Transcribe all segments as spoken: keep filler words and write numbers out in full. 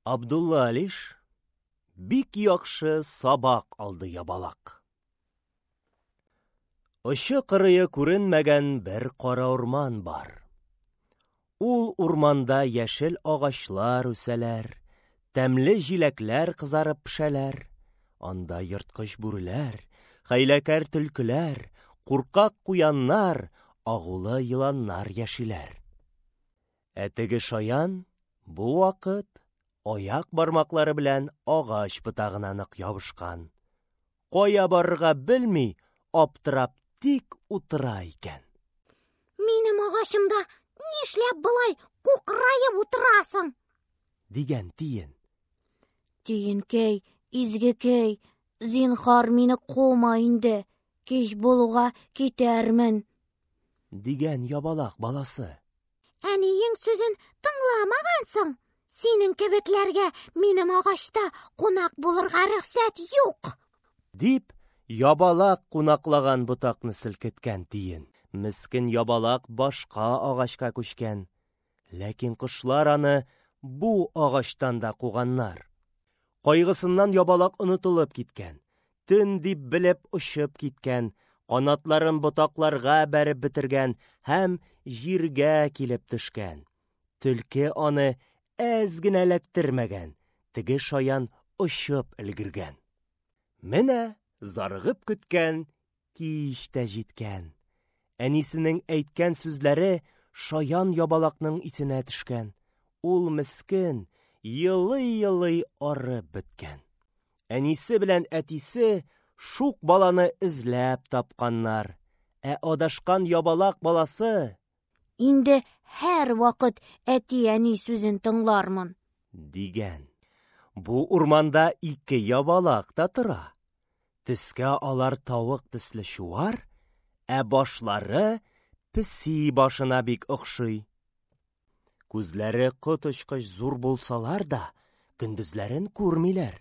Абдулла Алиш. Бик яхшы сабак алды ябалак. Очы-кырые күренмәгән бер кара урман бар. Ул урманда яшел агачлар үсәләр, тәмле җиләкләр кызарып пешәләр. Анда ерткыч бүреләр, хәйләкәр төлкеләр, куркак куяннар, агулы еланнар яшиләр. Ә теге шаян бу вакыт аяк бармаклары белән агач ботагына нык ябышкан. Кая барырга белми, аптырап тик утыра икән. Минем агачымда нишләп болай кукраеп утырасың? Дигән тиен. Тиенкәй, изгекәй, зинһар мине кума инде, кич булуга китәрмен. Дигән ябалак баласы. Әниең сүзен тыңламагансың. Синең кебекләргә минем агачта кунак булырга рөхсәт юк. Дип, ябалак кунаклаган ботакны селкеткән тиен. Мескен ябалак башка агачка күчкән. Ләкин кошлар аны бу агачтан да куганнар. Кайгысыннан ябалак онытылып киткән. Төн дип белеп очып киткән, канатларын ботакларга бәреп бетергән һәм җиргә килеп төшкән. Төлке аны әз генә эләктермәгән, теге шаян очып өлгергән. Менә зарыгып көткән кич тә җиткән. Әнисенең әйткән сүзләре шаян ябалакның исенә төшкән. Ул мескен елый-елый арып беткән. Әнисе белән әтисе шук баланы эзләп тапканнар. Ә адашкан ябалак баласы: Инде һәр вакыт әти-әни сүзен тыңлармын, дигән. Бу урманда ике ябалак та тора. Төскә алар тавык төсле чуар, ә башлары песи башына бик охшый. Күзләре коточкыч зур булсалар да, көндезләрен күрмиләр.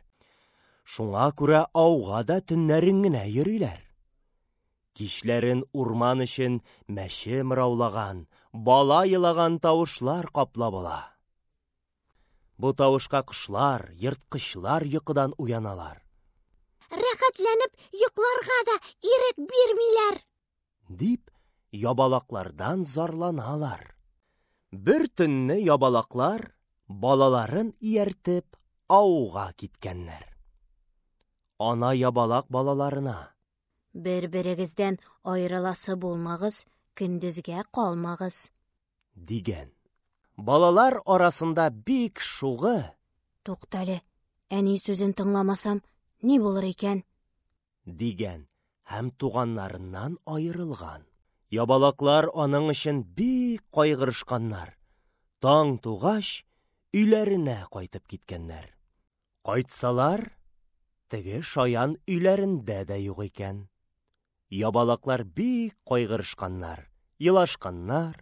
Шуңа күрә ауга да төннәрен генә йөриләр. Кичләрен урман өчен мәче мыраулаган, бала елаган тавышлар каплап ала. Бу тавышка кошлар, ерткычлар йокыдан уяналар. Рәхәтләнеп йокларга да ирек бирмиләр, дип ябалаклардан зарланалар. Бер төнне ябалаклар балаларын ияртеп ауга киткәннәр. Ана ябалак балаларына: Бер-берегездән аерыласы булмагыз, көндезгә калмагыз, дигән. Балалар арасында бик шугы: Туктале, әни сүзен тыңламасам, ни булыр икән? Дигән һәм туганнарыннан аерылган. Ябалаклар аның өчен бик кайгырышканнар. Таң тугач, өйләренә кайтып киткәннәр. Кайтсалар, теге шаян өйләрендә дә юк икән. Ябалаклар бик кайгырышканнар, елашканнар.